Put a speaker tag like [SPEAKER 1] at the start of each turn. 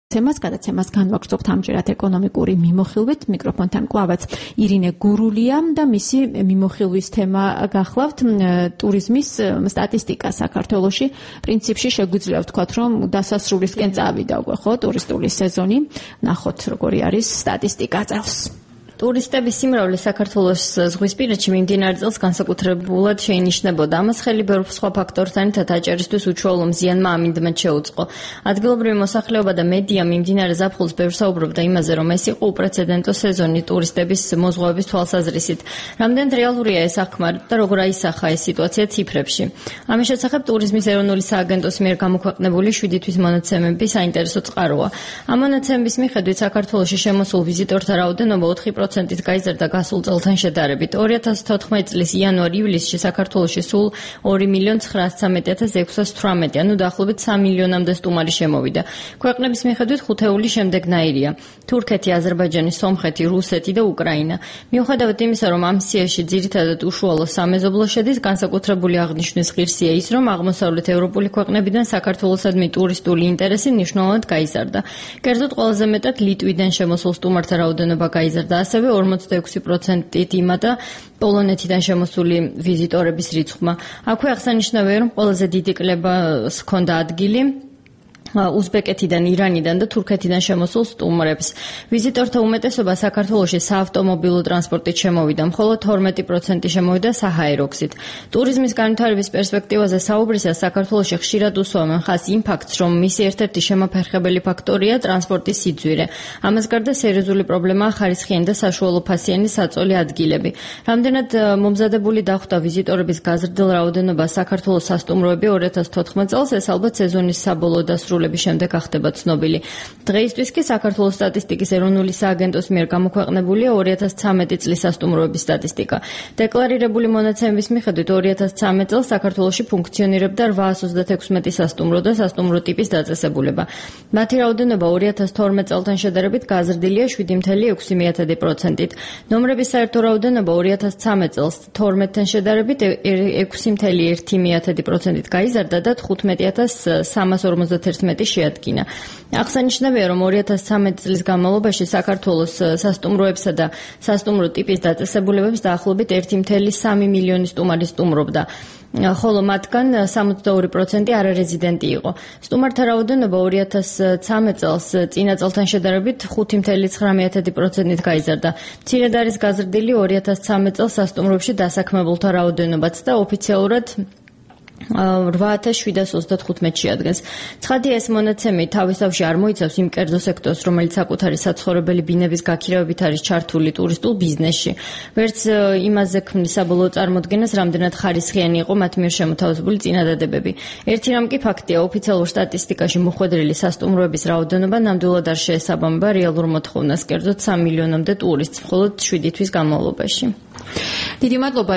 [SPEAKER 1] გადაცემას განვაგრძობთ ამჯერად ეკონომიკური მიმოხილვით. მიკროფონთან კლავაც ირინე გურულია და მისი მიმოხილვის თემა გახლავთ ტურიზმის სტატისტიკა საქართველოში. პრინციპში შეგვიძლია ვთქვათ, რომ დასასრულისკენ წავიდა უკვე ხო ტურისტული სეზონი. ნახოთ როგორი არის სტატისტიკა წელს.
[SPEAKER 2] ტურისტების სიმრავლე საქართველოს ზღვისპირეთში მიმდინარე წელს განსაკუთრებულად შეინიშნებოდა. ამას ხელი ბევრ სხვა ფაქტორთან ერთად აჭერისთვის უშუალო მზიანმა ამინდმა შეუწყო. ადგილობრივი მოსახლეობა და მედია მიმდინარე ზაფხულს ბევრ საუბრობდა იმაზე, რომ ეს იყო უპრეცედენტო სეზონი ტურისტების მოზღვავების თვალსაზრისით. რამდენად რეალურია ეს აღქმარი და როგორ აისახა ეს სიტუაცია ციფრებში. ამის შესახებ ტურიზმის ეროვნული სააგენტოს მიერ გამოქვეყნებული 7 თვის მონაცემები საინტერესო წყაროა. ამ მონაცემების მიხედვით საქართველოში შემოსულ ვიზიტორთა რაოდენობა 4%-ით გაიზარდა გასულ წელთან შედარებით. 2014 წლის იანვარ-ივლისში საქართველოში სულ 2.913.618, ანუ დაახლოებით 3 მილიონამდე სტუმარი შემოვიდა. ქვეყნების მიხედვით ხუთეული შემდეგნაირია: თურქეთი, აზერბაიჯანი, სომხეთი, რუსეთი და უკრაინა. მიუხედავად იმისა, რომ ამ სიაში ძირითადად უშუალო სამეზობლო შედის, განსაკუთრებული აღნიშვნის ღირსია ის, რომ აღმოსავლეთ ევროპული ქვეყნებიდან საქართველოსადმი ტურისტული ინტერესი მნიშვნელოვნად გაიზარდა. კერძოდ ყველაზე მეტად ლიტვიდან შემოსულ სტუმართა რაოდენობა გაიზარდა, ასევე 46%-ით იმატა პოლონეთიდან შემოსული ვიზიტორების რიცხვმა. აქვე აღსანიშნავია, რომ ყველაზე დიდი კლებას ჰქონდა ადგილი უზბეკეთიდან, ირანიდან და თურქეთიდან შემოსულ სტუმრებს. ვიზიტორთა უმეტესობა საქართველოში საავტომობილო ტრანსპორტით შემოვიდა, მხოლოდ 12% შემოვიდა საჰაერო გზით. ტურიზმის განვითარების პერსპექტივაზე საუბრისას საქართველოში ხშირად უსვამენ ხაზს იმ ფაქტს, რომ მისი ერთ-ერთი შემაფერხებელი ფაქტორია ტრანსპორტის სიძვირე. ამას გარდა სერიოზული პრობლემაა ხარისხიანი და საშუალო ფასიანი საწოლი ადგილები. რამდენად მომზადებული დახვდა ვიზიტორების გაზრდილ რაოდენობას საქართველოს სასტუმროები 2014 წელს, ეს ალბათ სეზონის საბოლოო დასრულების შემდეგ ახდება ცნობილი. დღეისთვის კი საქართველოს სტატისტიკის ეროვნული სააგენტოს მიერ გამოქვეყნებულია 2013 წლის სასტუმროების სტატისტიკა. დეკლარირებული მონაცემების მიხედვით 2013 წელს საქართველოში ფუნქციონირებდა 836 სასტუმრო და სასტუმრო ტიპის დაწესებულება. მათი რაოდენობა 2012 წელთან შედარებით გაზრდილია 7.6%-ით. ნომრების საერთო რაოდენობა 2013 წელს 12-თან შედარებით 6.1%-ით გაიზარდა და 15.351 შეადგინა. აღსანიშნავია, რომ 2013 წლის განმავლობაში საქართველოს სასტუმროებსა და სასტუმრო ტიპის დაწესებულებებს დაახლოებით 1.3 მილიონი სტუმარი სტუმრობდა. ხოლო მათგან 62% არარეზიდენტი იყო. სტუმართა რაოდენობა 2013 წელს წინა წელთან შედარებით 5.9%-ით გაიზარდა. მცირედ არის გაზრდილი 2013 წელს სასტუმროებში დასაქმებულთა რაოდენობაც და ოფიციალურად 8735 შეადგენს. ცხადია, ეს მონაცემი თავისთავში არ მოიცავს იმ კერძო სექტორს, რომელიც საკუთარი საცხოვრებელი ბინების გაქირავებით არის ჩართული ტურისტულ ბიზნესში. ვერც იმაზე ქმნის საბოლოო წარმოდგენას, რამდენად ხარისხიანი იყო მათ მიერ შემოთავაზებული წინადადებები. ერთი რამ კი ფაქტია, ოფიციალურ სტატისტიკაში მოხვედრილი სასტუმროების რაოდენობა ნამდვილად არ შეესაბამება რეალურ მოთხოვნას, კერძოდ 3 მილიონამდე ტურისტს მხოლოდ 7 თვის განმავლობაში.
[SPEAKER 1] დიდი მადლობა.